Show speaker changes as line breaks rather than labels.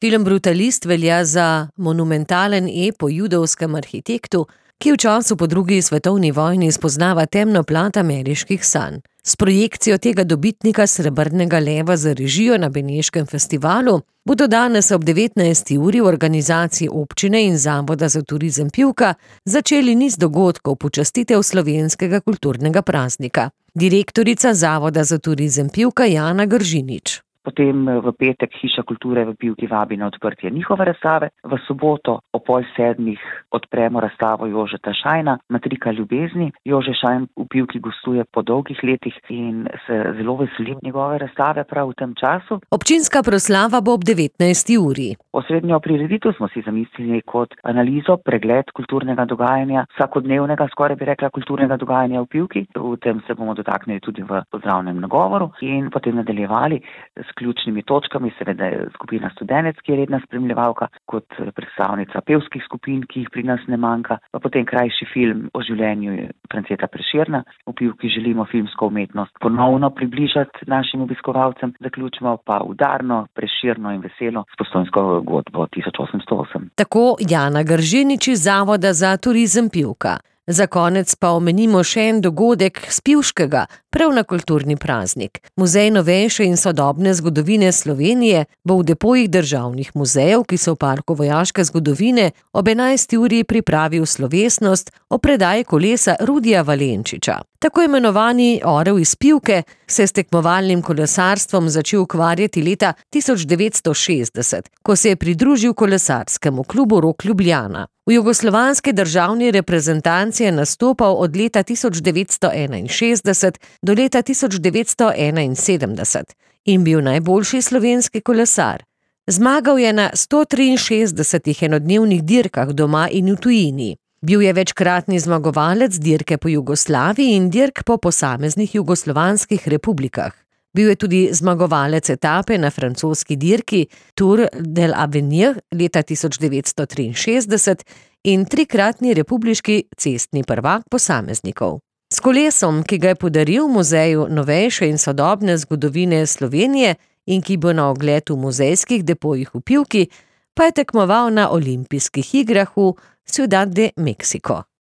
Film Brutalist velja za monumentalen ep o judovskem arhitektu, ki v času po drugi svetovni vojni spoznava temno plat ameriških sanj. S projekcijo tega dobitnika srebrnega leva za režijo na Beneškem festivalu bodo danes ob 19. uri v organizaciji občine in Zavoda za turizem Pivka začeli niz dogodkov počastitev slovenskega kulturnega praznika. Direktorica Zavoda za turizem Pivka Jana Gržinič.
Potem v petek Hiša kulture v Pivki vabi na odprtje njihove razstave. V soboto ob 6:30 odpremo razstavo Jožeta Šajna, Matrika ljubezni. Jože Šajn v Pivki gostuje po dolgih letih in se zelo veselim njegove razstave prav v tem času.
Občinska proslava bo ob 19. uri.
Osrednjo prireditev smo si zamislili kot analizo, pregled kulturnega dogajanja, vsakodnevnega, skoraj bi rekla, kulturnega dogajanja v Pivki. V tem se bomo dotaknili tudi v pozdravnem nagovoru in potem nadaljevali s ključnimi točkami, seveda je skupina Studenec, ki je redna spremljevalka, kot predstavnica pevskih skupin, ki jih pri nas ne manjka, pa potem krajši film o življenju Franceta Prešerna. V Pivki želimo filmsko umetnost ponovno približati našim obiskovalcem, zaključimo pa udarno, prešerno in veselo s Postojnsko godbo 1808.
Tako Jana Gržinič iz Zavoda za turizem Pivka. Za konec pa omenimo še en dogodek s Pivškega, prav na kulturni praznik. Muzej novejše in sodobne zgodovine Slovenije bo v depojih državnih muzejev, ki so v parku vojaške zgodovine, ob 11. uri pripravil slovesnost o predaji kolesa Rudija Valenčiča. Tako imenovani orel iz Pivke se je s tekmovalnim kolesarstvom začel ukvarjati leta 1960, ko se je pridružil kolesarskemu klubu Rok Ljubljana. V jugoslovanski državni reprezentanci je nastopal od leta 1961 do leta 1971 in bil najboljši slovenski kolesar. Zmagal je na 163 enodnevnih dirkah doma in v tujini. Bil je večkratni zmagovalec dirke po Jugoslaviji in dirk po posameznih jugoslovanskih republikah. Bil je tudi zmagovalec etape na francoski dirki Tour de l'Avenir leta 1963 in trikratni republiški cestni prvak posameznikov. S kolesom, ki ga je podaril Muzeju novejše in sodobne zgodovine Slovenije in ki bo na ogled v muzejskih depojih v Pivki, pa je tekmoval na olimpijskih igrah v Ciudad de México.